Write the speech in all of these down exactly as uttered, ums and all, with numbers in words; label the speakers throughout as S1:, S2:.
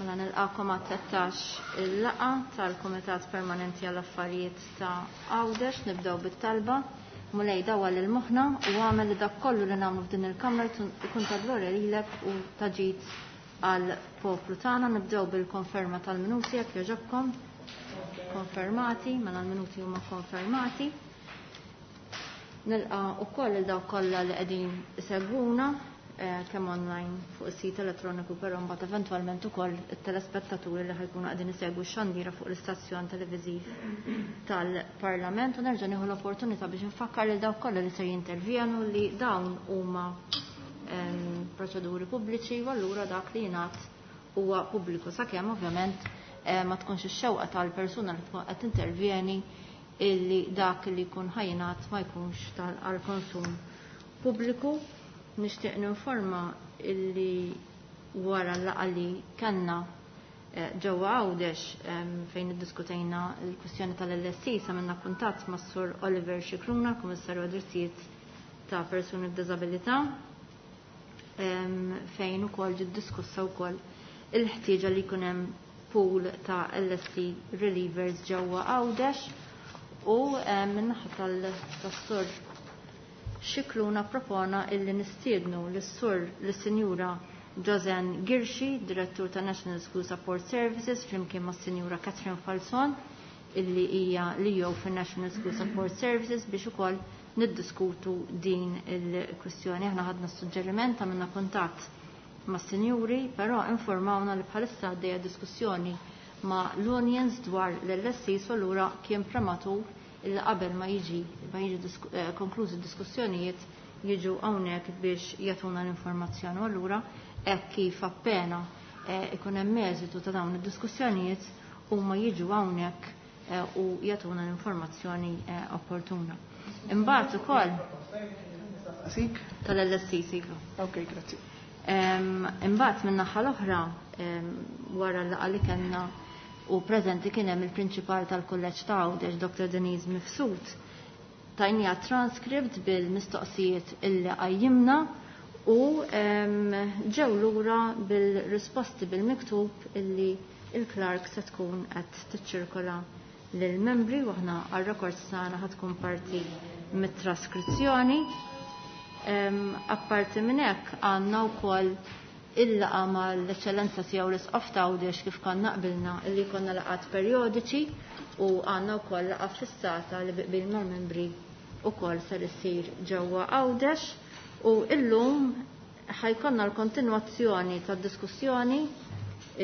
S1: Mela nilqakom għat-tlettax il-laqgħa tal-Kumitat Permanenti għall Affarijiet ta' Għawdex. Nibdew bit-talba. Mulej dawwal lil moħħna u għamel li dak kollu li nagħmlu f'din il-Kamra jkun ta' glorja lilek u ta' ġid għal poplu tagħna. Nibdew bil-konferma tal-minuti jekk jogħġobkom. Konfermati, mela l-minuti huma konfermati. Nilqa' ukoll il dawk kollha li qegħdin isegwuna kemm online fuq is-sit elettroniku, però mbagħad eventwalment ukoll it-telespettaturi li ħajkunu qegħdin isegwu x-xandira fuq l-istazzjon televiżiv tal-Parlament. U nerġa' nieħu l-opportunità biex nfakkar lil dawk kollha li se jintervjenu li dawn huma proċeduri pubbliċi u allura dak li jingħad huwa pubbliku, sakemm ovvjament ma tkunx ix-xewqa tal-persuna li tkun qed tintervjeni illi dak li jkun ħajjingħad ma jkunx tal-konsum pubbliku. Nixtieq ninforma illi wara l-laqgħa li kellna ġewwa Għawdex fejn iddiskutejna l-kwistjoni tal-L S C, għamilna kuntatt mas-Sur Oliver Scicluna, Kummissarju għad-Drittijiet ta' Persuni b'Diżabilità, fejn ukoll ġiet diskussa wkoll il-ħtieġa li jkun hemm pool ta' L S C relievers ġewwa Għawdex, u min-naħa tas-Sur Scicluna propona illi nistiednu lis-sur lis-Sinjura Josanne Ghirxi, Direttur ta' National School Support Services, flimkien mas Sinjura Catherine Falzon, illi hija L E O fin National School Support Services, biex ukoll niddiskutu din il-kwistjoni. Aħna ħadna suġġeriment, għamilna kuntatt ma' sinjuri, però informawna li bħalissa għaddejja diskussjoni ma' l-unions dwar l-L S C, u allura kien prematur illi qabel ma jiġi ma jiġi konklużi diskussjonijiet jiġu hawnhekk biex jagħtuna l-informazzjoni. U allura hekk kif appena ikun hemm eżitu ta' dawn id-diskussjonijiet, huma jiġu hawnhekk u jagħtuna l-informazzjoni opportuna. Imbagħad ukoll
S2: Sik?
S1: Tal-L S C, siku.
S2: Ok, grazzi.
S1: Imbagħad min-naħa l-oħra, wara l-laqgħa li kellna u preżenti kien hemm il-prinċipal tal-Kulleġġ ta' Għawdex, Doctor Denise Mifsud, tajnija transcript bil-mistoqsijiet illi qajjimna u ġew lura bil-risposti bil-miktub illi il-clerk se tkun qed tiċċirkola lill-membri, u aħna għar-rekord tagħna ħa tkun parti mit-traskrizzjoni. Apparti minn hekk, għandna wkoll il-laqgħa mal-Eċċellenza Tiegħu l-Isqof ta' Għawdex, kif konna qbilna illi konna laqgħat perjodiċi, u għandna wkoll laqgħa fissata li bi qbil mal-membri wkoll ser issir ġewwa Għawdex, u illum ħa jkollna l-kontinwazzjoni tad-diskussjoni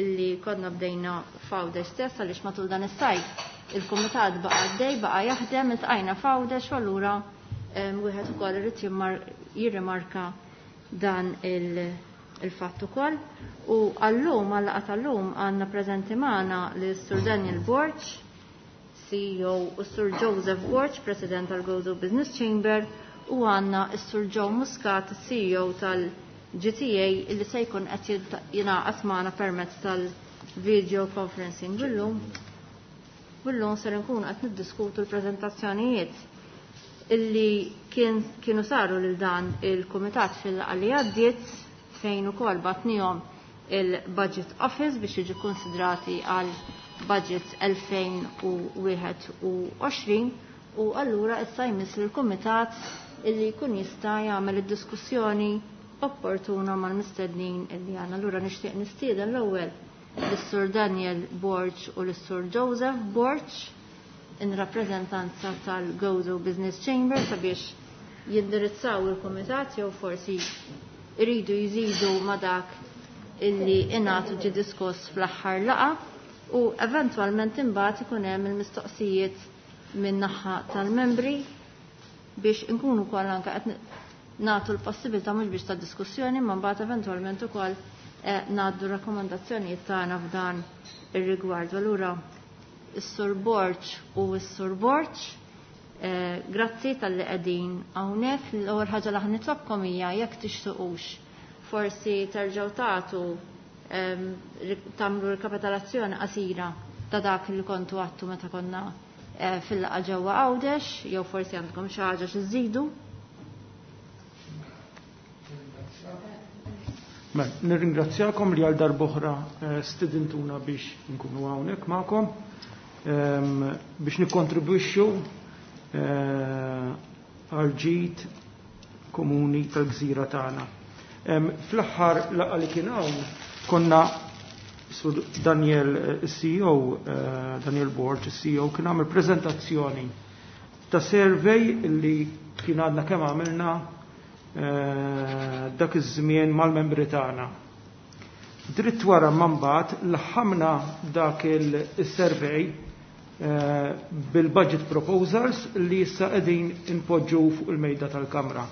S1: illi konna bdejna f'Għawdex stess, għaliex matul dan is-sajf il-kumitat baqa' għaddej, baqa' jaħdem, iltqajna f'Għawdex, u allura wieħed ukoll irid jirrimarka dan il-fatt ukoll. U għallum, għal-laqgħa tal-lum, għandna preżenti magħna lis-Sur Daniel Borg, C E O, u Sur Joseph Borg, President tal-Gozo Business Chamber, u għandna s-Sur Joe Muscat, C E O tal-G T A, illi se jkun qed jingħaqad magħna permezz tal-video conferencing illum. U llum ser nkunu qed niddiskutu l-preżentazzjonijiet illi kien, kienu saru lil dan il-kumitat fil-laqgħa li għaddiet, fejn ukoll bgħatnihom il-Budget Office biex jiġu konsidrati għal budget elfejn u wieħed u għoxrin, u allura issa jmiss il-kumitat illi jkun jista' jagħmel id-diskussjoni opportuna mal-mistednin illi għandna. Allura nixtieq nistieden l-ewwel lis-Sur Daniel Borg u lis-Sur Joseph Borg in rappreżentanza tal-Gozo Business Chamber sabiex jindirizzaw il-kumitat jew forsi iridu jżidu ma dak illi ingħatu ġi diskuss fl-aħħar laqgħa, u eventwalment imbagħad ikun hemm il-mistoqsijiet minn naħa tal-membri biex inkunu wkoll anke qed nagħtu l-possibilità mhux biex ta' diskussjoni, ma mbagħad eventwalment ukoll eh, ngħaddu rakkomandazzjonijiet tagħna f'dan ir-rigward. Allura is-Sur Borg u s-Sur Borg, eh, grazzi talli qegħdin hawnhekk. L-ewwel ħaġa li nitlobkom hija jekk tixtuqux forsi terġgħu tagħtu tagħmlu rikapitolazzjoni qasira ta' dak li kontu għedtu meta konna eh, fil-laqgħa ġewwa Għawdex, jew forsi għandkom xi ħaġa xi żidu.
S3: Mela, nirringrazzjakom li għal darb'oħra eh, stidintuna biex nkunu hawnhekk magħkom ehm, biex nikkontribwixxu eh, għal ġid komuni tal-gżira tagħna. Ehm, fl-aħħar laqgħa li kien hawn konna Sur Daniel eh, C E O, Daniel Borg, C E O, kien għamel prezentazzjoni ta' survey li kien għadna kemm għamilna Eh, dak iż-żmien mal-membri tagħna. Dritt wara mbagħad laħamna dak il-survey eh, bil-budget proposals li issa qegħdin inpoġġu fuq il-mejda tal-Kamra.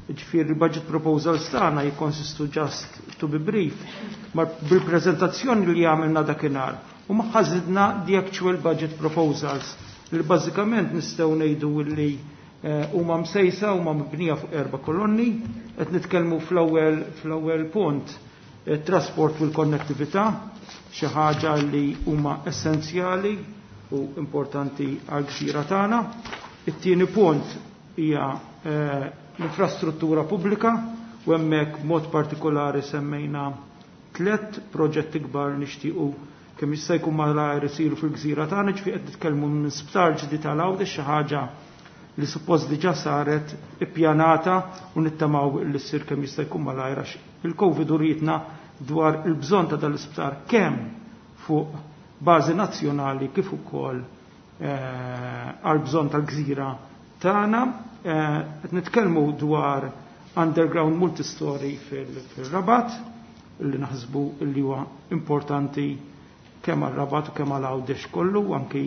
S3: Ġifieri il-budget proposals tagħna jikkonsistu, just to be brief, ma bil-preżentazzjoni li għamilna dakinhar u magħha żidna the actual budget proposals li bażikament nistgħu ngħidu li Eh, huma msejsa, huma mibnija fuq erba' kolonni. Qed nitkellmu fl-ewwel fl-ewwel punt eh, trasport u l-konnettività, xi ħaġa li huma essenzjali u importanti għal gżira tagħna. It-tieni punt hija eh, l-infrastruttura pubblika u hemmhekk mod partikolari semmejna tliet proġetti kbar nixtiequ kemm jista' jkun malajr isiru fil-gżira tagħna, ġifieri qed nitkellmu minn sptar ġdid tal Għawdex, xi ħaġa li suppost diġà saret ippjanata u nittamaw li ssir kemm jista' jkun malajr għax il-Covid urietna dwar il-bżonn ta' dal-isptar kemm fuq bażi nazzjonali kif ukoll eh, għal bżonn tal-gżira tagħna. Eh, qed nitkellmu dwar underground multistory fil-Rabat li naħsbu li huwa importanti kemm għal-Rabat u kemm għal Għawdex kollu, anki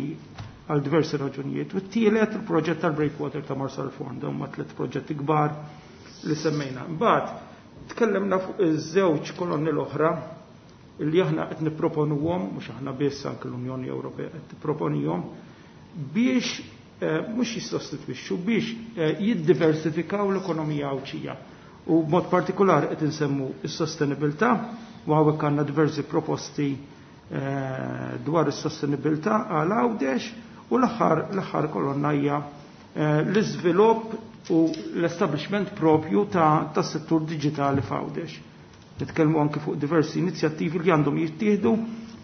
S3: għal diversi raġunijiet. U t-tielet il-proġett tal-Breakwater ta' Marsalforn, dawn ma tliet proġetti kbar li semmejna. Mbagħad tkellimna fuq iż-żewġ kolonni l-oħra li aħna qed nipproponuhom, mhux aħna biss, anke l-Unjoni Ewropea qed tipproponihom biex eh, mhux jissostitwixxu, biex eh, jiddiversifikaw l-ekonomija Għawdxija. U b'mod partikolari qed insemmu s-sostenibilità u hawnhekk għandna diversi proposti eh, dwar is-sostenibilità għal Għawdex, u l-aħħar l-aħħar kolonna hija eh, l-iżvilupp u l-establishment propju ta' tas settur digitali f'Għawdex. Nitkellmu anke fuq diversi inizjattivi li għandhom jittieħdu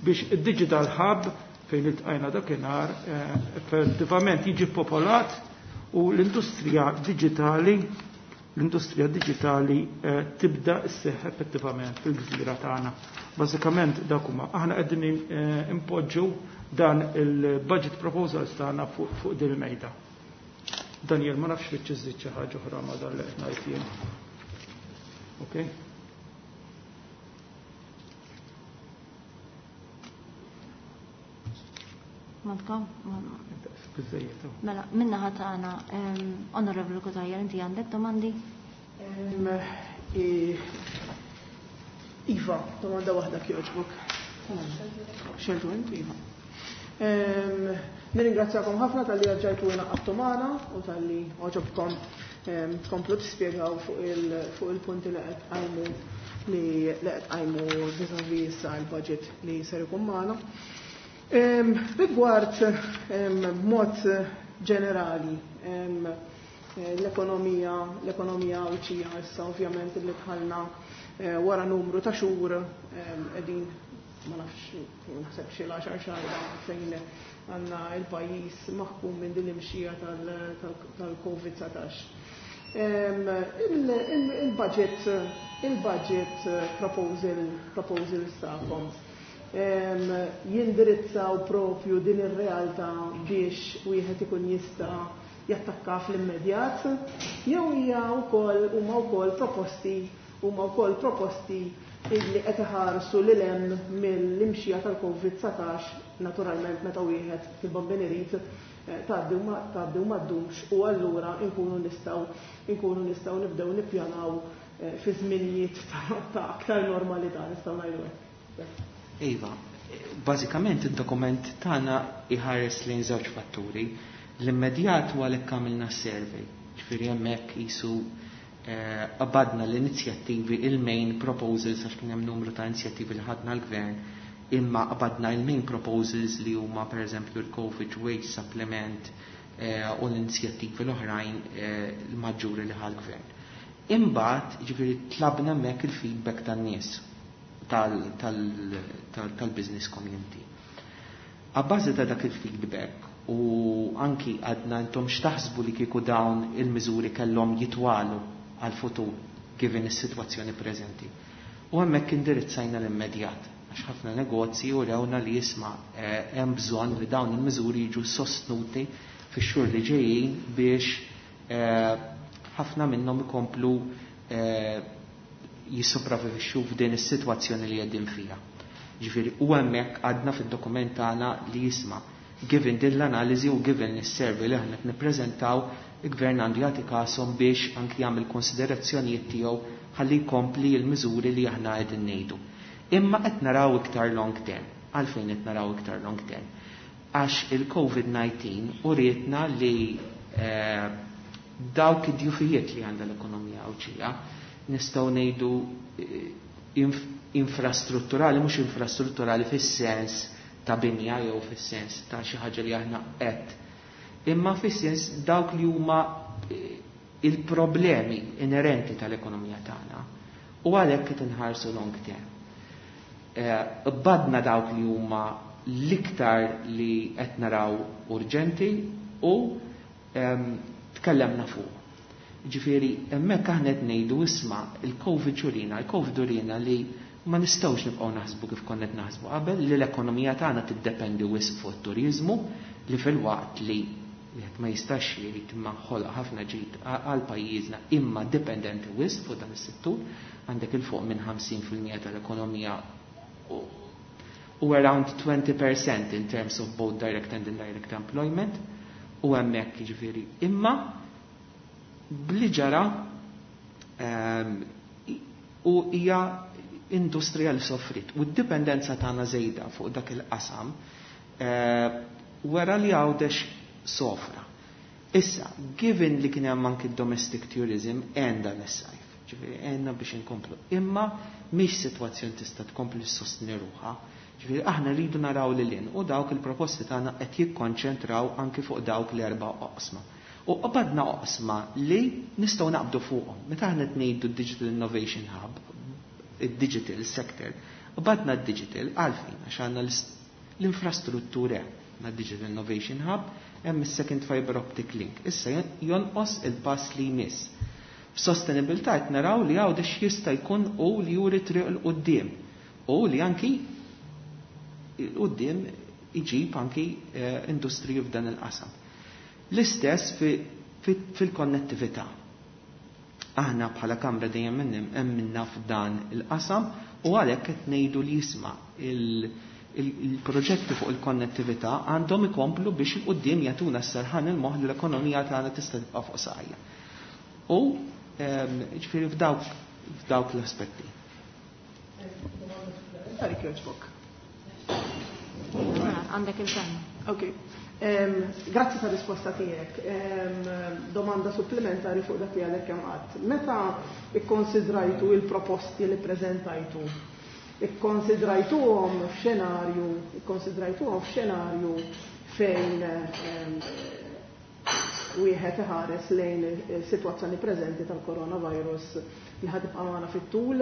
S3: biex id-Digital Hub fejn iltqajna dakinhar eh, effettivament jiġi popolat u l-industrija digitali l-industrija digitali eh, tibda sseħħ effettivament fil-gżira tagħna. Bażikament dak huma. Aħna qegħdin impoġġu dan il-budget proposals tagħna fuq fuq din il-mejda. Daniel, ma nafx tridx iżżid xi ħaġa oħra ma dan li qed ngħid jien. Okay?
S1: Malcolm?
S3: Biżejjed.
S1: Mela, min-naħa tagħna, Onorevoli Cutajar, inti għandek domandi?
S2: Em, i- Iva, domanda waħda kjoġbok. Xeltu inti, Iva. Em, Nirringrazzjakom ħafna talli erġajtu ingħaqadtu magħna u talli għoġobkom em, tkomplu tispjegaw fuq il- fuq il-punti li qed qajmu li li qed qajmu vis-à-vis issa l-budget li ser ikun magħna. Em, Rigward em, b'mod ġenerali em, l-ekonomija l-ekonomija Għawdxija issa ovvjament li dħalna eh, wara numru ta' xhur em, qegħdin, ma nafx, naħseb xi l-għaxar xahar fejn għandna il-pajjiż maħkum minn din l-imxija tal-Covid dsatax. Em, il- il- Il-budget il-budget proposal proposals tagħkom em, jindirizzaw propju din ir-realtà biex wieħed ikun jista' jattakka fl-immedjat, jew hija wkoll huma wkoll proposti huma wkoll proposti illi qed iħarsu lil hemm mill-imxija tal-Covid dsatax, naturalment meta wieħed fil-Bambin irid eh, tgħaddi u ma tgħaddi u ma ddumx u allura nkunu nistgħu nkunu nistgħu nibdew nippjanaw eh, fi żminijiet ta' ta' aktar normalità, nistgħu ngħidu hekk.
S4: Iva, bażikament id-dokument tagħna iħares lejn żewġ fatturi. L-immedjat huwa għalhekk għamilna survey, ġifieri hemmhekk qisu eh, qabadna l-inizjattivi, il-main proposals, għax kien hemm numru ta' inizjattivi li ħadna l-gvern, imma qabadna il-main proposals li huma pereżempju l-Covid Wage Supplement eh, u l-inizjattivi l-oħrajn eh, l-maġġuri li ħa l-gvern. Imbagħad, ġifieri tlabna hemmhekk il-feedback tan-nies tal-business community. Abbażi ta' dak il-feedback u anki għadna intom x'taħsbu li kieku dawn il-miżuri kellhom jitwalu għal-futur given is-sitwazzjoni preżenti. U hemmhekk indirizzajna l-immedjat, għax ħafna negozji u rewna li jisma' hemm bżonn li dawn il-miżuri jiġu sostnuti fix-xhur li ġejjin biex ħafna minnhom ikomplu jissopravvivixxu f'din is-sitwazzjoni li qegħdin fiha. Ġifieri u hemmhekk għadna fid-dokument tagħna li jisma' given din l-analiżi u given is-survey li aħna qed nippreżentaw, il-gvern għandu jagħti kasom biex anki jagħmel konsiderazzjonijiet tiegħu ħalli jkompli l-miżuri li aħna qegħdin ngħidu. Imma qed naraw iktar long term. Għalfejn qed naraw iktar long term? Għax il-COVID nineteen urietna li eh, dawk id-djufijiet li għandha l-ekonomija Għawdxija nistgħu ngħidu inf infrastrutturali, mhux infrastrutturali fis-sens ta' binja jew fis-sens ta' xi ħaġa li aħna qed, imma fis-sens dawk li huma il-problemi inerenti tal-ekonomija tagħna u għalhekk qed inħarsu long term. Badna dawk li huma l-iktar li qed naraw urġenti u tkellemna fuq. Ġifieri hemmhekk aħna qed ngħidu isma' il-COVID xurina, il-COVID urina li ma nistgħux nibqgħu naħsbu kif konna qed naħsbu qabel, li l-ekonomija tagħna tiddependi wisq fuq it-turiżmu, li filwaqt li wieħed ma jistax jgħid imma ħoloq ħafna ġid għal pajjiżna imma dipendenti wisq fuq dan is-settur, għandek il fuq minn ħamsin fil-mija tal-ekonomija u around twenty percent in terms of both direct and indirect employment, u hemmhekk jiġifieri imma bli ġara u hija industrija li soffrit u d-dipendenza tagħna żejda fuq dak il-qasam wara li Għawdex sofra. Issa, given li kien hemm anki domestic tourism għandha nis-sajf, ġifieri għandna biex inkomplu. Imma mhix sitwazzjoni tista' tkompli ssostni ruħha. Ġifieri aħna rridu naraw lil hinn u dawk il-proposti tagħna qed jikkonċentraw anki fuq dawk l-erba' oqsma. U qabadna oqsma li nistgħu naqbdu fuqhom. Meta aħna qed ngħidu Digital Innovation Hub, id-digital sector, qabadna d-digital għalfejn għax għandna l-infrastruttura għandna Digital Innovation Hub, hemm is-second fiber optic link. Issa jonqos il-pass li jmiss. F'sostenibilità qed naraw li Għawdex jista' jkun u li juri triq il quddiem u li anki il quddiem iġib anki industriji f'dan il-qasam. L-istess fil-konnettività. Aħna bħala Kamra dejjem emminna f'dan il-qasam u għalhekk qed ngħidu li jisma' il-proġetti fuq il-konnettività għandhom ikomplu biex il-quddiem jagħtuna s-serħan il-moħħ li l-ekonomija tagħna tista' tibqa' fuq saqajja. U ġifieri f'dawk f'dawk l-aspetti.
S1: Għandek il-kelma.
S2: Ok. Grazzi ta' risposta tiegħek. Domanda supplementari fuq dak li għadek kemm qatt. Meta ikkonsidrajtu il-proposti li preżentajtu, ikkonsidrajtuhom f'xenarju, ikkonsidrajtuhom f'xenarju fejn wieħed iħares lejn is-sitwazzjoni preżenti tal-coronavirus li ħad tibqa' magħna fit-tul,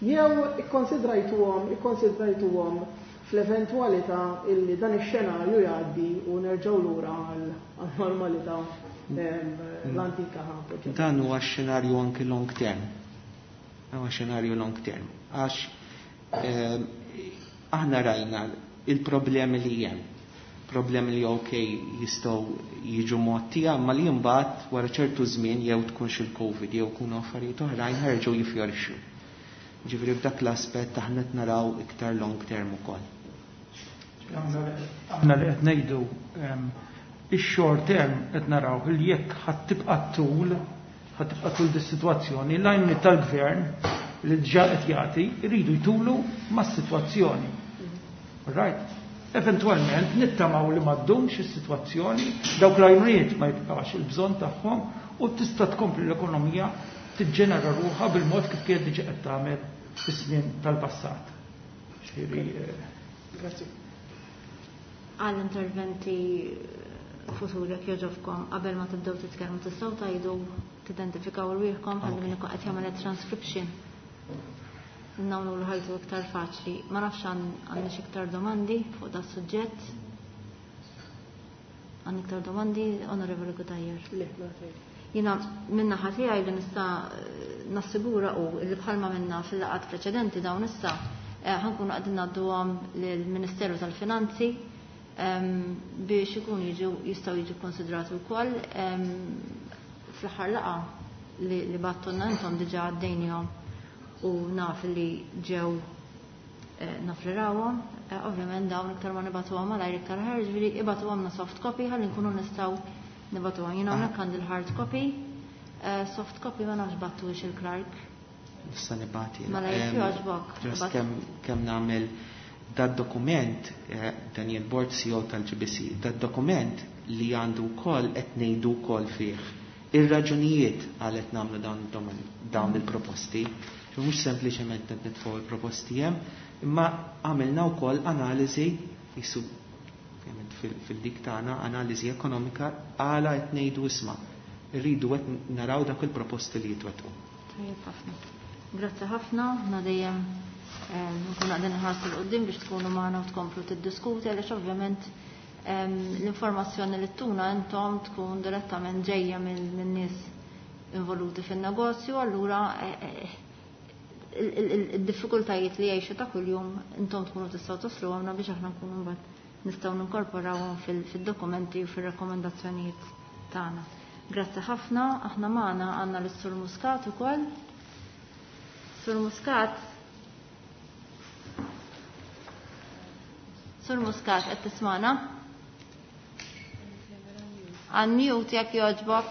S2: jew ikkonsidrajtuhom, ikkonsidrajtuhom fl-eventwalità illi dan ix-xenarju jgħaddi u nerġgħu lura għal-normalità l-antika.
S4: Dan huwa x-xenarju anki long term. Huwa xenarju long term. Għax aħna rajna il-problemi li hemm. Problemi li ok jistgħu jiġu mgħottija, ma li mbagħad wara ċertu żmien jew tkunx il-COVID jew kunu affarijiet oħrajn ħerġgħu jifjorixxu. Ġifieri f'dak l-aspett aħna qed naraw iktar long term ukoll.
S3: Aħna li qed ngħidu ix-short term qed naraw li jekk ħadd tibqa' tul, ħadd tibqa' tul dis-sitwazzjoni, l-għajnuniet tal-gvern li diġà qed jagħti jridu jtulu mas-sitwazzjoni. Right? Eventualment nittamaw li ma ddumx is-sitwazzjoni, dawk l-għajnuniet ma jibqax il-bżonn tagħhom u tista' tkompli l-ekonomija tiġġenera ruħha bil-mod kif kienet diġà qed tagħmel fis-snin tal-passat. Ġifieri,
S2: Grazzi.
S1: Għall-interventi futur jekk jogħġobkom qabel ma tibdew titkellmu tistgħu tgħidu tidentifikaw rwieħkom ħalli min ikun qed jagħmel transcription. Nagħmlu l ħajtu iktar faċli. Ma nafx għandniex iktar domandi fuq da suġġett. Għandna iktar domandi, Onorevoli Cutajar.
S2: Le, ma tgħid.
S1: Jiena min-naħa tiegħi li nista' nassigura u li bħalma minna fil-laqgħat preċedenti dawn issa eh, ħa nkunu qegħdin ngħadduhom lill-Ministeru tal-Finanzi em, biex ikun jiġu jistgħu jiġu konsidrati wkoll em, fl-aħħar laqgħa li, li bgħattulna intom diġà għaddejnihom u naf li ġew eh, naf li rawhom. Eh, Ovvjament dawn iktar ma nibagħtuhom malajr iktar ħer, ġifieri ibagħtuhomna soft copy ħalli nkunu nistgħu nibagħtuhom. Jiena hawnhekk għandi l-hard copy, eh, soft copy ma nafx bgħattux il-clerk.
S4: Nista' nibgħat jiena.
S1: Mela jekk
S4: Em,
S1: jogħġbok.
S4: Just
S1: Bat-
S4: kemm kemm nagħmel dad dokument, eh, Daniel Borg C E O tal-G B C, dad dokument li għandu wkoll qed ngħidu wkoll fih ir-raġunijiet għal qed nagħmlu dawn id-doman- dawn il-proposti. Mhux sempliċement qed nitfgħu il-proposti hemm, imma għamilna wkoll analiżi jisu ovvjament fil- fil-dik tagħna analiżi ekonomika għala qed ngħidu isma' irridu qed naraw dak il-proposti li jitwettqu.
S1: Tajjeb ħafna. Grazzi ħafna, na dejjem eh, nkunu qegħdin nħarsu 'l quddiem biex tkunu magħna u tkomplu tiddiskuti għaliex ovvjament em, l-informazzjoni li tuna intom tkun direttament ġejja minn minn nies involuti fin-negozju, allura eh, eh, il- il- il-diffikultajiet li jgħixu ta' kuljum intom tkunu tistgħu toslu għamna biex aħna nkunu mbagħad nistgħu ninkorporawhom fil- fil-dokumenti u fir-rakkomandazzjonijiet tagħna. Grazzi ħafna, aħna magħna għandna l-Sur Muscat ukoll. Sur Muscat. Sur Muscat, qed tismana? Unmute jekk jogħġbok.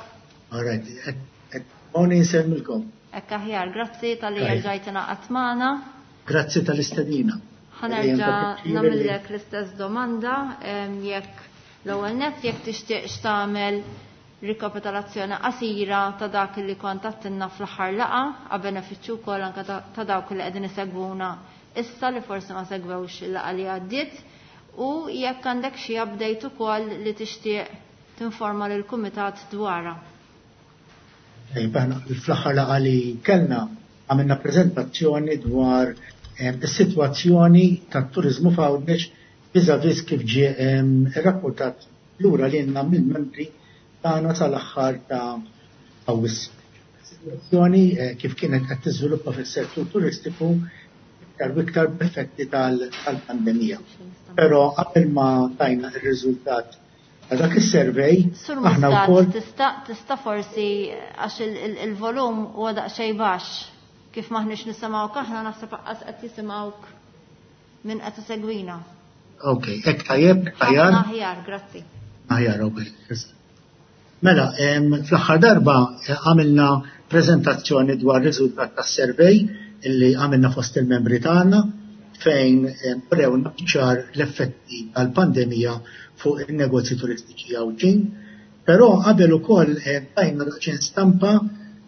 S5: All right, Moni nsellmilkom.
S1: Hekk aħjar, grazzi talli
S5: Tajjeb.
S1: rġajt ingħaqadt magħna.
S5: Grazzi tal-istedina.
S1: Ħa nerġa' nagħmillek l-istess domanda em, jekk l-ewwel nett jekk tixtieqx tagħmel rikapitolazzjoni qasira ta' dak li kont għedtilna fl-aħħar laqgħa għal benefiċċju wkoll anke ta' ta' dawk li qegħdin isegwuna issa li forsi ma segwewx il-laqgħa li għaddiet u jekk għandek xi update ukoll li tixtieq tinforma lill kumitat dwarha.
S5: Tajjeb, aħna fl-aħħar laqgħa li kellna għamilna prezentazzjoni dwar em, is-sitwazzjoni tat-turiżmu f'Għawdex vis-à-vis kif ġie em, irrapportat lura lilna mill-membri tagħna sal-aħħar ta' Awwissu. Sitwazzjoni eh, kif kienet qed tiżviluppa fis-settur turistiku iktar u iktar b'effetti tal- tal-pandemija. Però qabel ma tajna ir-riżultat ta' dak is-survey,
S1: Sur
S5: aħna
S1: Muscat,
S5: wkoll
S1: tista' tista' forsi għax il- il- il-volum huwa daqsxejn baxx kif maħniex nisimgħuk aħna naħseb aqqas qed jisimgħuk min qed isegwina.
S5: Ok, hekk tajjeb, aħjar.
S1: Ħafna aħjar, grazzi.
S5: Aħjar, ok. Mela, em, fl-aħħar darba eh, għamilna prezentazzjoni dwar riżultat tas-survey illi għamilna fost il-membri tagħna fejn em, urewna ċar l-effetti tal-pandemija fuq il-negozji turistiċi Għawdxin. Però qabel ukoll eh, tajna daqsxejn stampa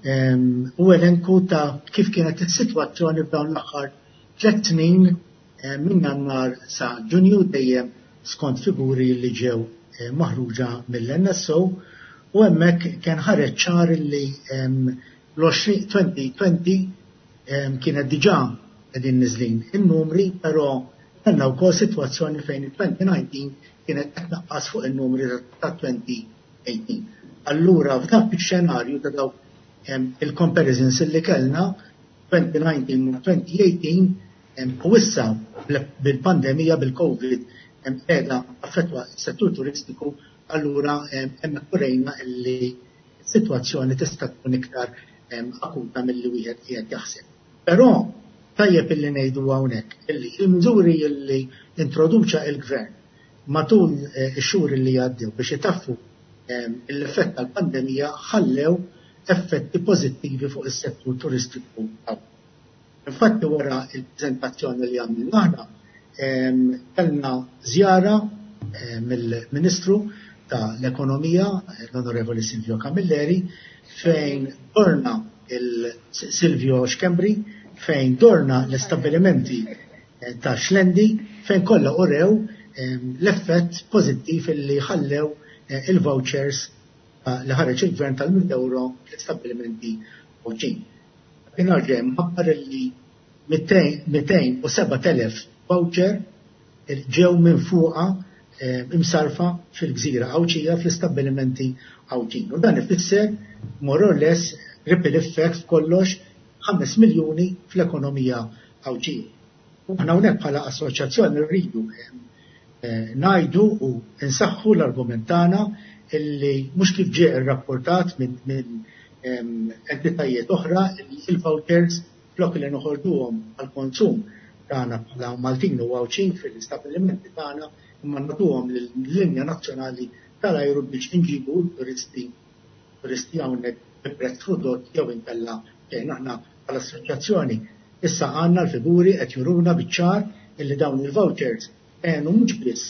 S5: em, u elenku ta' kif kienet is-sitwazzjoni f'dawn l-aħħar tliet snin eh, minn Jannar sa Ġunju, dejjem skont figuri li ġew eh, maħruġa mill-N S O, u hemmhekk kien ħareġ ċar li em, l-elfejn u għoxrin kienet diġà qegħdin niżlin in-numri, però kellna wkoll sitwazzjoni fejn il-elfejn u dsatax kienet qed tnaqqas fuq in-numri ta' elfejn u tmintax. Allura f'dak ix-xenarju ta' dawk em, il-comparisons illi kellna elfejn u dsatax u elfejn u tmintax em, u issa bil-pandemija bil-Covid em, qiegħda affettwa s-settur turistiku, allura em, hemmhekk urejna illi s-sitwazzjoni tista' tkun iktar em, akuta milli wieħed qiegħed jaħseb. Però tajjeb illi ngħidu hawnhekk illi il-miżuri illi introduċa il-gvern matul eh, ix-xhur illi għaddew biex itaffu em, l-effett tal-pandemija ħallew effetti pożittivi fuq is-settur turistiku. Infatti wara il-prezentazzjoni li għamilna aħna em, kellna żjara eh, mill-Ministru tal-Ekonomija, l-Onorevoli Silvio Camilleri, fejn dorna il-Silvio Schembri, fejn dorna l-istabbilimenti eh, ta' Xlendi, fejn kollha urew em, l-effett pożittiv illi ħallew il-vouchers li ħareġ il-gvern tal-mitt euro fl-istabbilimenti Għawdxin. Dakinhar ġej mħabbar li mitejn u seba' telef voucher ġew minn fuqha imsarfa fil-gżira Għawdxija fl-istabbilimenti Għawdxin. U dan ifisser more or less ripple effect f'kollox ħames miljuni fl-ekonomija Għawdxija. U aħna hawnhekk bħala assoċjazzjoni rridu ngħidu u nsaħħu l-argument tagħna illi mhux kif ġie rrapportat minn min entitajiet oħra illi il-vouchers flok li noħorġuhom għall-konsum tagħna bħala Maltin u Għawdxin fil-istabbilimenti tagħna imma nagħtuhom lill-linja nazzjonali tal-ajru biex inġibu turisti turisti hawnhekk bi prezz ridott jew inkella xejn. Aħna bħala assoċjazzjoni issa għandna l-figuri qed juruna biċ-ċar illi dawn il-vouchers għenu mhux biss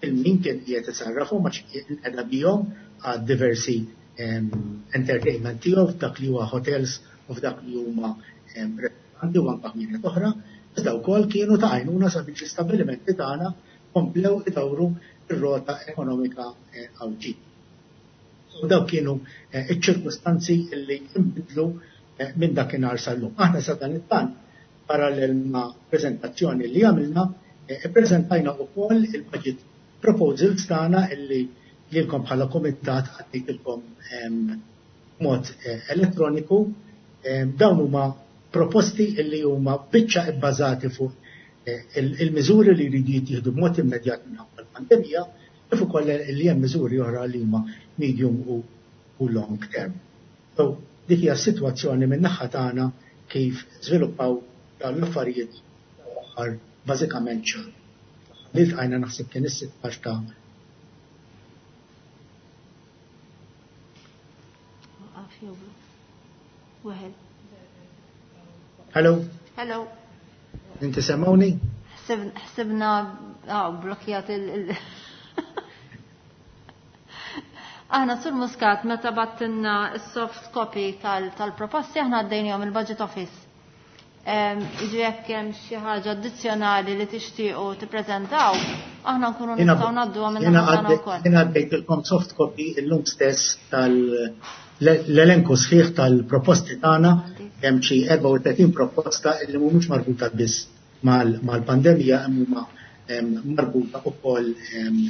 S5: il-min kien qiegħed isarrafhom għax inqeda bihom għad diversi entertainment tiegħu f'dak li huwa hotels u f'dak li huma ristoranti u anke ħwienet oħra, iżda wkoll kienu ta' għajnuna sabiex l-istabbilimenti tagħna komplew idawru r-rota ekonomika Għawdxija. U dawk kienu iċ-ċirkustanzi li nbidlu minn dakinhar sal-lum. Aħna sa dan it-tant, parallel ma' preżentazzjoni li għamilna, ippreżentajna wkoll il-budget proposals tagħna illi lilkom bħala komitat għaddejtilkom mod elettroniku. Dawn huma proposti illi huma biċċa ibbażati fuq il-miżuri li jridu jittieħdu b'mod immedjat minħabba l-pandemija, kif ukoll li hemm miżuri oħra li huma medium u, u long term. So, dik hija s-sitwazzjoni min-naħa tagħna kif żviluppaw dawn l-affarijiet l-aħħar bażikament xahar. Li ltqajna naħseb kien is-sittax ta' Hello.
S1: Hello.
S5: Inti semmawni?
S1: Ħsibna ah, blokjat il- Aħna Sur Muscat meta battinna s-soft copy tal-proposti aħna għaddejnihom il-Budget Office. Iġi jekk hemm xi ħaġa addizzjonali li tixtiequ tippreżentaw, aħna nkunu nistgħu ngħadduha minn naħa wkoll.
S5: Jiena għaddejtilkom soft copy illum stess tal-elenku sħiħ tal-proposti tagħna, hemm xi erbgħa u tletin proposta li mhumiex marbuta biss mal-pandemija, imma huma marbuta wkoll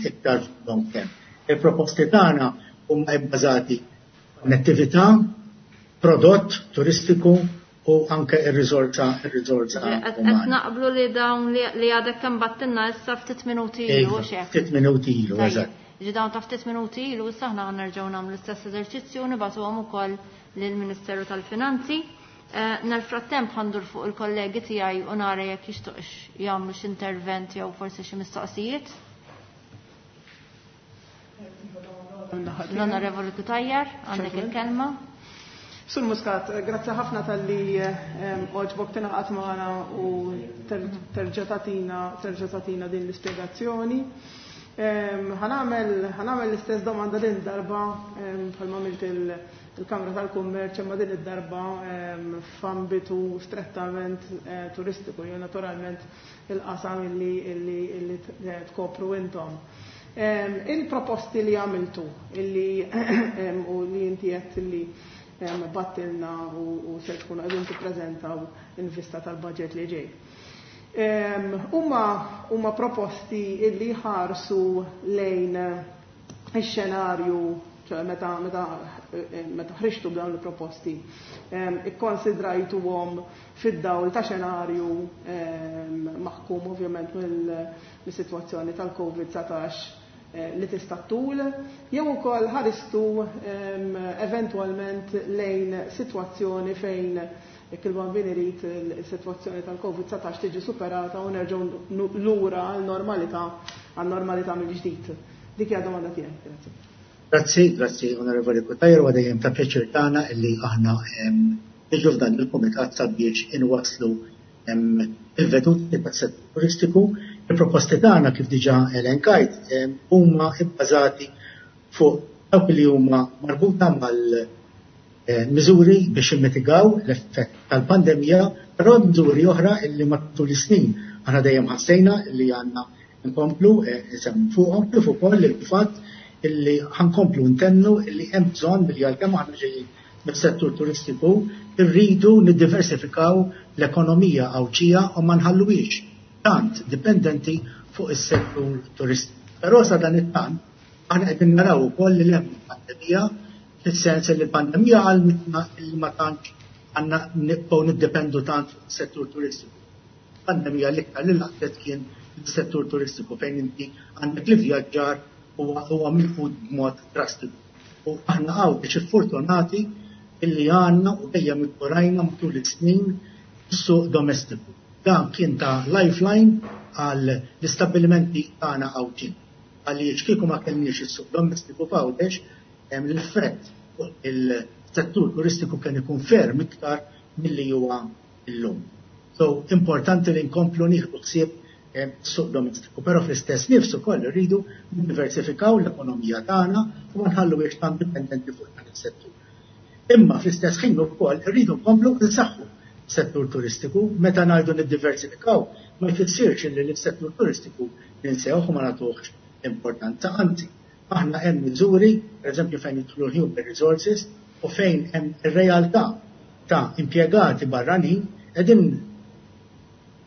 S5: iktar long term. Il-proposti tagħna huma bbażati konnettività, prodott turistiku u anke ir-riżorsa ir-riżorsa.
S1: Qed naqblu li dawn li għadek kemm battinna issa ftit minuti ilu xi.
S5: Ftit minuti ilu, eżatt.
S1: Ġi dawn ta' ftit minuti ilu issa aħna nerġgħu nagħmlu l-istess eżerċizzju u nibagħtuhom ukoll lill-Ministeru tal-Finanzi. Nel-frattemp ħandur fuq il-kollegi tiegħi u nara jekk jixtuqx jagħmlu xi intervent jew forsi xi mistoqsijiet. L-Onorevoli Cutajar, għandek il-kelma.
S2: Sur Muscat, grazzi ħafna tal-li oġbok tingħaqad magħna u terġa' tagħtina terġa' tagħtina din l-ispjegazzjoni. Ħanagħmel ħanagħmel l-istess domanda din darba bħalma għamilt il-Kamra tal-Kummerċ, imma din id-darba f'ambitu strettament turistiku, jew naturalment il-qasam illi illi tkopru intom. Il-proposti li għamiltu, illi u li inti qed illi battilna u se tkunu qegħdin tippreżentaw in vista tal-budget li ġej. Huma huma proposti illi ħarsu lejn ix-xenarju, ċoħe meta meta meta ħriġtu b'dawn il-proposti, ikkonsidrajtuhom fid-dawl ta' xenarju maħkum ovvjament mill-sitwazzjoni tal-Covid dsatax li tista' tul, jew ukoll ħaristu eventwalment lejn sitwazzjoni fejn jekk il-bambin irid il-sitwazzjoni tal-Covid dsatax tiġi superata u nerġgħu lura għal-normalità għal-normalità mill-ġdid. Dik hija domanda tiegħi, grazzi.
S5: Grazzi, grazzi Onorevoli Cutajar, u dejjem ta' pjaċir tagħna illi aħna niġu f'dan il-kumitat sabiex inwasslu il-veduti tas-settur turistiku. Il-proposti tagħna kif diġà elenkajt huma bbażati fuq dawk li huma marbuta mal-miżuri biex immitigaw l-effett tal-pandemija, però miżuri oħra illi matul is-snin aħna dejjem ħassejna illi għandna nkomplu nsemmu fuqhom, kif ukoll il-fatt illi ħa nkomplu ntennu illi hemm bżonn billi għalkemm aħna ġejjin mis-settur turistiku irridu niddiversifikaw l-ekonomija Għawdxija u ma nħalluhiex tant dipendenti fuq is-settur turistiku. Però sa dan it-tant aħna qegħdin naraw ukoll li hemm pandemija, fis-sens li l-pandemija għallmitna li ma tantx għandna nibqgħu niddependu tant fuq is-settur turistiku. Pandemija l-iktar li laqtet kien is-settur turistiku fejn inti għandek l-ivvjaġġar huwa huwa milqut b'mod drastiku. U aħna Għawdex fortunati illi għandna u dejjem ikkurajna matul is-snin is-suq domestiku. Dan kien ta' lifeline għal l-istabbilimenti tagħna Għawdxin. Għaliex kieku ma kellniex is-suq domestiku f'Għawdex, hemm l-effett fuq il-settur turistiku kien ikun ferm iktar milli huwa llum. So importanti li nkomplu nieħdu ħsieb suq domestiku, però fl-istess nifs ukoll irridu niddiversifikaw l-ekonomija tagħna u ma nħalluhiex tant dipendenti fuq dan is-settur. Imma fl-istess ħin ukoll irridu nkomplu nsaħħu settur turistiku. Meta ngħidu niddiversifikaw, ma jfissirx li l-settur turistiku ninsewh u ma nagħtuhx importanza, anzi, aħna hemm miżuri, pereżempju fejn jidħlu human resources u fejn hemm ir-realtà ta' impjegati barranin, qegħdin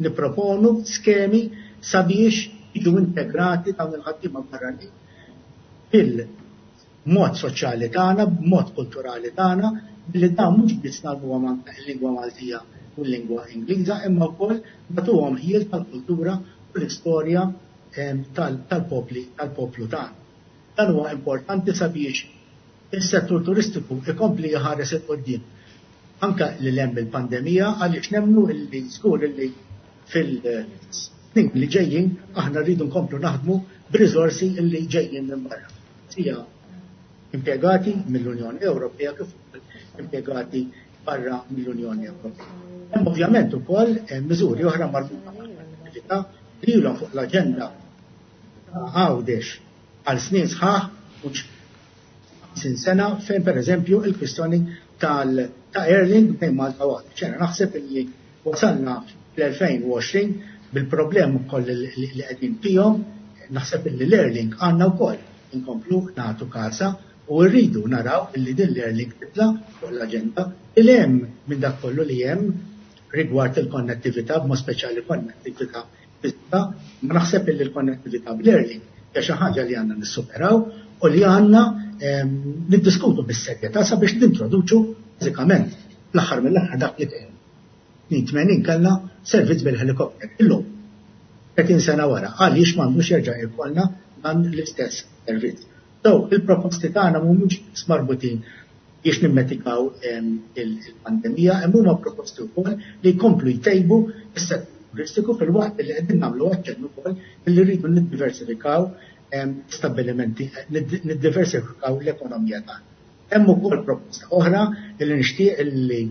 S5: nipproponu skemi sabiex jiġu integrati dawn il-ħaddiema barranin fil-mod soċjali tagħna, b'mod kulturali tagħna, billi dawn mhux biss ngħallmuhom anke l-lingwa Maltija u l-lingwa Ingliża, imma wkoll nagħtuhom ħjiel tal-kultura u l-istorja tal-popli tal-poplu tagħna. Dan huwa importanti sabiex is-settur turistiku ikompli jħares 'il quddiem anka li hemm il-pandemija, għaliex nemmnu illi żgur illi fil-snin li ġejjin aħna rridu nkomplu naħdmu b'riżorsi illi ġejjin minn barra. Sija impjegati mill-Unjoni Ewropea kif impjegati barra mill-Unjoni Ewropea. Hemm ovvjament ukoll miżuri oħra marbuta mal-attività li ilhom fuq l-aġenda Għawdex għal snin sħaħ, mhux ħamsin sena, fejn pereżempju il-kwistjoni tal ta' Airlink bejn Malta u Għawdex. Ġena naħseb illi wasalna fl-elfejn u għoxrin bil-problemi wkoll li qegħdin fihom, naħseb illi l-Airlink għandna wkoll inkomplu nagħtu kasa u rridu naraw illi din l-Airlink titla' fuq l-aġenda il hemm minn dak kollu li hemm rigward il-konnettività, b'mod speċjali konnettività fiżika, ma naħseb illi l-konnettività bl-Airlink hija xi ħaġa li għandna nissuperaw u li għandna niddiskutu bis-serjetà sabiex nintroduċu bażikament fl-aħħar mill-aħħar dak li kien. tmenin kellna servizz bil-helikopter. Illum, tletin sena wara, għaliex m'għandux jerġa' jkollna dan l-istess servizz. So, il-proposti tagħna mhumiex marbutin biex nimmetikaw il-pandemija, hemm huma proposti wkoll li jkomplu jtejbu s-settur turistiku fil-waqt li qegħdin nagħmlu aċċennu wkoll li rridu niddiversifikaw stabbilimenti, niddiversifikaw l-ekonomija tagħna. Hemm ukoll proposta oħra li nixtieq li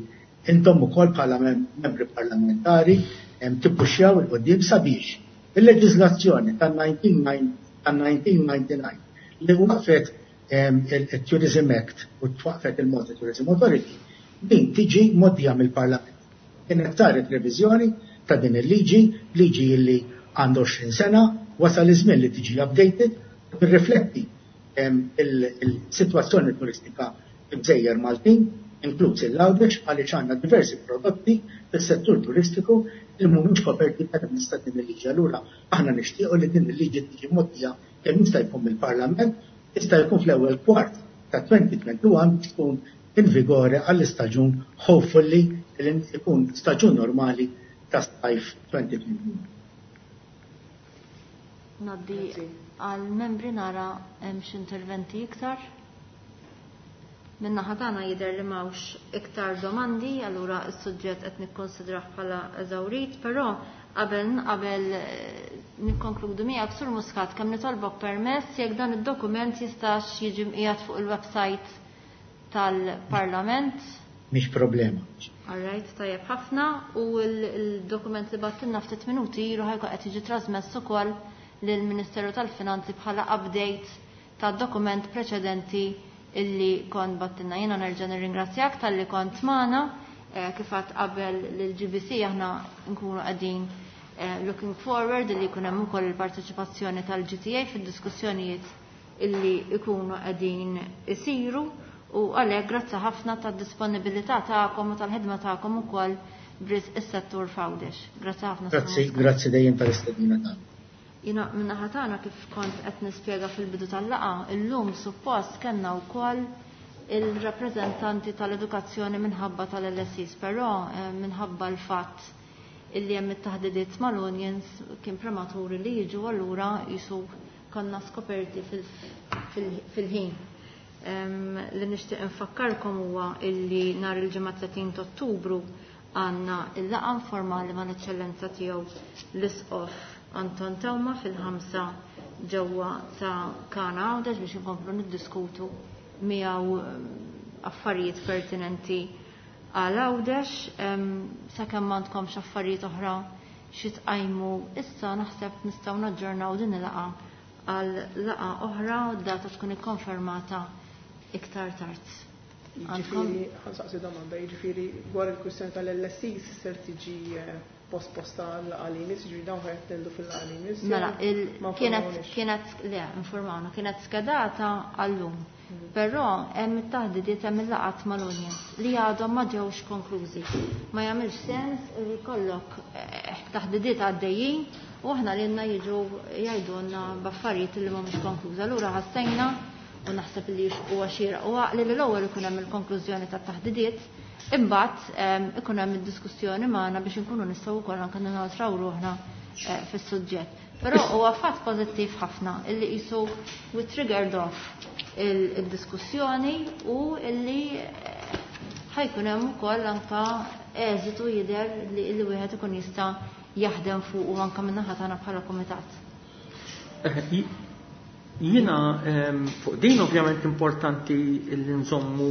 S5: intom ukoll bħala membri parlamentari tippuxxjaw il quddiem sabiex il-leġiżlazzjoni tan-nineteen ninety-nine li waqfet il-Tourism Act u twaqfet il-Malta Tourism Authority, din tiġi mgħoddija mill-Parlament. Kienet saret reviżjoni ta' din il-liġi, liġi li għandu għoxrin sena, wasal iż-żmien li tiġi updated, tirrifletti il-sitwazzjoni turistika fil-Gżejjer Maltin, inkluż il-Għawdex, għaliex għandna diversi prodotti fis-settur turistiku li mhumiex koperti permezz ta' din il-liġi. Allura aħna nixtiequ li din il-liġi tiġi mgħoddija kemm jista' jkun mill-Parlament, jista' jkun fl-ewwel kwart ta' twenty twenty-one biex tkun in vigore għall-istaġun hopefully li jkun staġun normali ta' sajf twenty twenty-one.
S1: Ngħaddi għal membri nara hemm xi interventi iktar. Minna ħadana jidher li m'hawnx iktar domandi, allura s-suġġett qed nikkonsidrah bħala eżawrit, però qabel, qabel nikkonkludu miegħek Sur Muscat, kemm nitolbok permess jekk dan id-dokument jistax jiġi mqiegħed fuq il-website tal-Parlament.
S5: Mhix problema.
S1: All right, tajjeb ħafna, u l-dokument li battilna ftit minuti ilu ħajkun qed jiġi trasmess ukoll lill-Ministeru tal-Finanzi bħala update tad-dokument preċedenti illi kont battilna. Jiena nerġa' nirringrazzjak talli kont magħna, eh, kif għedt qabel lill-G B C aħna nkunu qegħdin, eh, looking forward illi jkun hemm ukoll il-parteċipazzjoni tal-G T A fid-diskussjonijiet illi ikunu qegħdin isiru u għalhekk grazzi ħafna tad-disponibilità tagħkom u tal-ħidma tagħkom ukoll b'risq is-settur f'Għawdex. Grazzi ħafna.
S5: Grazzi, grazzi dejjem tal-istedina tagħna.
S1: Jiena min-naħa tagħna kif kont qed nispjega fil-bidu tal-laqgħa, illum suppost kellna wkoll il-rappreżentanti tal-edukazzjoni minħabba tal-L S Es, però eh, minħabba l-fatt illi hemm it-taħdidiet mal-unions kien prematuri li jiġu, allura jisu konna skoperti fil-ħin. Li nixtieq infakkarkom huwa illi nhar il-ġimgħa tletin ta' Ottubru għandna il-laqgħa informali mal-Eċċellenza tiegħu l-Isqof Anton Teuma fil-ħamsa ġewwa ta' Kana Għawdex biex inkomplu niddiskutu miegħu affarijiet pertinenti għal Għawdex. Sakemm m'għandkomx affarijiet oħra xi tqajmu issa, naħseb nistgħu naġġornaw din il-laqgħa għal laqgħa oħra u d-data tkun ikkonfermata iktar tard.
S2: Jiġifieri, ħa nsaqsi domanda, jiġifieri dwar il-kwistjoni tal-L S Es ser tiġi eh, posposta għal-għalimis, jiġifieri dawn ħa jattendu fil-għalimis?
S1: Mela, kienet, kienet, le, informawna, kienet skedata għallum. Mhm. Però hemm it-taħdidiet, hemm il-laqgħat mal-unions li għadhom ma ġewx konklużi. Ma jagħmilx sens li jkollok eh, taħdidiet għaddejjin u aħna lilna jiġu jgħidulna b'affarijiet li mhumiex konklużi. Allura ħassejna u naħseb li huwa xieraq u għaqli li l-ewwel ikun hemm il-konklużjoni tat-taħdidiet, imbagħad ikun hemm id-diskussjoni magħna biex inkunu nistgħu wkoll anke ninoltraw ruħna eh, fis-suġġett. Però huwa fatt pożittiv ħafna illi qisu we triggered off il-diskussjoni u illi eh, ħa jkun hemm ukoll anke eżitu jidher li wieħed ikun jista' jaħdem fuq u anke min-naħa tagħna bħala kumitat.
S3: Eh, jiena fuq din ovvjament importanti li nżommu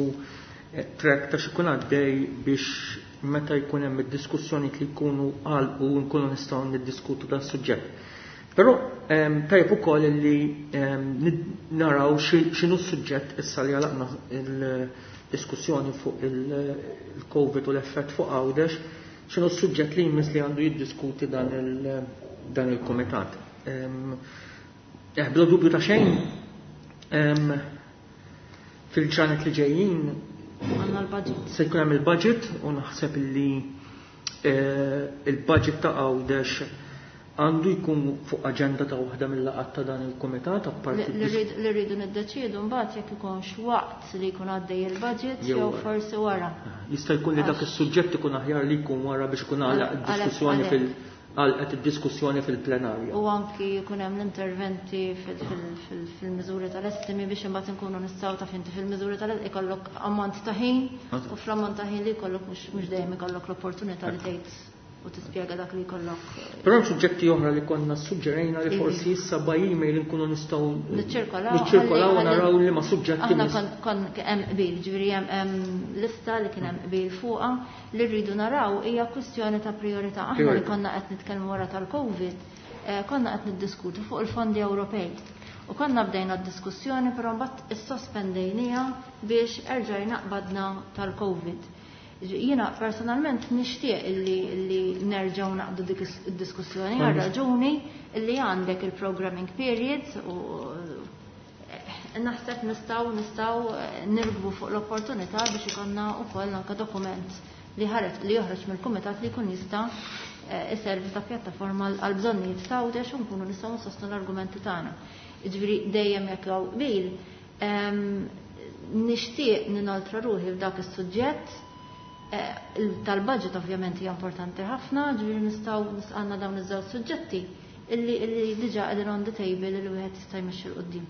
S3: eh, track ta' x'ikun għaddej biex meta jkun hemm id-diskussjoni li jkunu għalqu nkunu nistgħu niddiskutu dan suġġett. Però tajjeb ukoll li naraw x'inhu s-suġġett issa li għalaqna il-diskussjoni fuq il-Covid u l-effett fuq Għawdex, x'inhu s-suġġett li jmiss li għandu jiddiskuti dan il-komitat. Eh, bla dubju ta' xejn, fil-ġranet li ġejjin
S1: għandna l-budget.
S3: Se jkun hemm il-budget u naħseb li eh, il-budget ta' Għawdex għandu jkun fuq aġenda ta' waħda mill-laqgħat ta' dan il-kumitat apparti.
S1: Li rridu niddeċiedu mbagħad jekk ikunx waqt li jkun għaddej il-budget jew forsi wara.
S3: Jista' jkun li dak is-suġġett ikun aħjar li jkun wara biex ikun għalaq id-diskussjoni fil- għalqet id-diskussjoni fil-plenarja.
S1: U anki jkun hemm l-interventi fil-miżuri tal-estimi biex imbagħad inkunu nistgħu, taf inti, fil-miżuri tal ikollok ammont ta' ħin u fl-ammont ta' ħin li jkollok mhux dejjem ikollok l-opportunità li tgħid u tispjega dak li jkollok.
S3: Però hemm suġġetti oħra li konna suġġerejna li forsi issa by email nkunu nistgħu
S1: niċċirkolaw.
S3: Niċċirkolaw u naraw li ma suġġetti.
S1: Aħna kon hemm qbil, ġifieri hemm lista li kien hemm qbil fuqha. Li rridu naraw hija kwistjoni ta' priorità. Aħna li konna qed nitkellmu wara tal-Covid, eh, konna qed niddiskutu fuq il-fondi Ewropej. U konna bdejna d-diskussjoni, però mbagħad issospendejniha biex erġajna qbadna tal-Covid. Jiena personalment nixtieq illi, illi nerġgħu naqbdu dik id-diskussjoni għal raġuni illi għandek il-programming periods u eh, naħseb nistgħu nistgħu eh, nirkbu fuq l-opportunità biex ikollna wkoll anke dokument li ħareġ li joħroġ mill-kumitat li jkun jista' eh, iservi ta' pjattaforma għal bżonnijiet ta' Għawdex u nkunu nistgħu nsostnu l-argumenti tagħna. Jiġifieri dejjem jekk hawn qbil, nixtieq ninoltra ruħi f'dak is-suġġett eh, tal-budget. Ovvjament hija importanti ħafna, ġifieri nistgħu nisqanna dawn iż-żewġ suġġetti illi illi diġà qegħdin on the table illi wieħed jista' jmexxi 'l quddiem.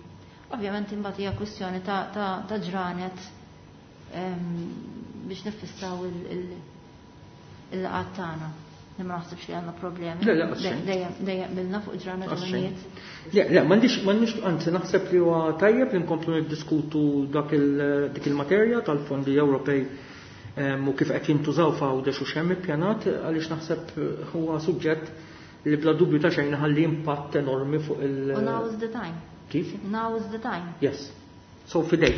S1: Ovvjament imbagħad hija kwistjoni ta' ta' ġranet biex nifissaw il-laqgħat tagħna. Li ma naħsibx li għandna problemi.
S3: Le, le, xejn.
S1: Dejjem dejjem qbilna fuq ġranet
S3: Għax xejn.
S1: żminijiet.
S3: Le, le, m'għandix, m'għandix, anzi naħseb li huwa tajjeb li nkomplu niddiskutu dak il dik il-materja tal-fondi Ewropej em, u kif qed jintużaw f'Għawdex u x'hemm ippjanat, għaliex naħseb huwa suġġett li bla dubju ta' xejn ħalli impatt enormi fuq il-
S1: U now is the time.
S3: Kif?
S1: Now is the time.
S3: Yes. So fidejk,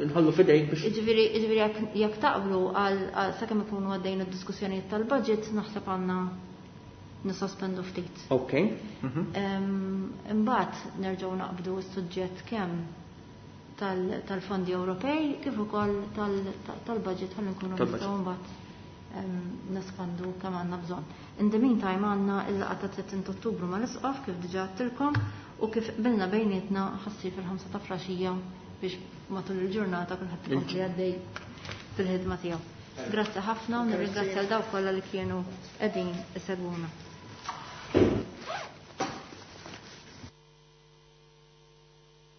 S3: nħallu fidejk biex.
S1: Ġifieri, ġifieri jekk jekk taqblu għal għal sakemm ikunu għaddejn id-diskussjonijiet tal-budget, naħseb għandna nisospendu ftit.
S3: Ok. Mhm.
S1: Em, Imbagħad nerġgħu naqbdu s-suġġett kemm tal-fondi Ewropej kif ukoll tal-budget ħalli nkunu nistgħu mbagħad nespandu kemm għandna bżonn. In the meantime għandna il-laqgħa ta' tletin Ottubru mal-Isqof kif diġà għedtilkom u kif qbilna bejnietna ħassir fil-ħamsa ta' flaxija biex matul il-ġurnata kulħadd ikompli għaddej fil-ħidma tiegħu. Grazzi ħafna u nirringrazzja l dawk kollha li kienu qegħdin isegwuna.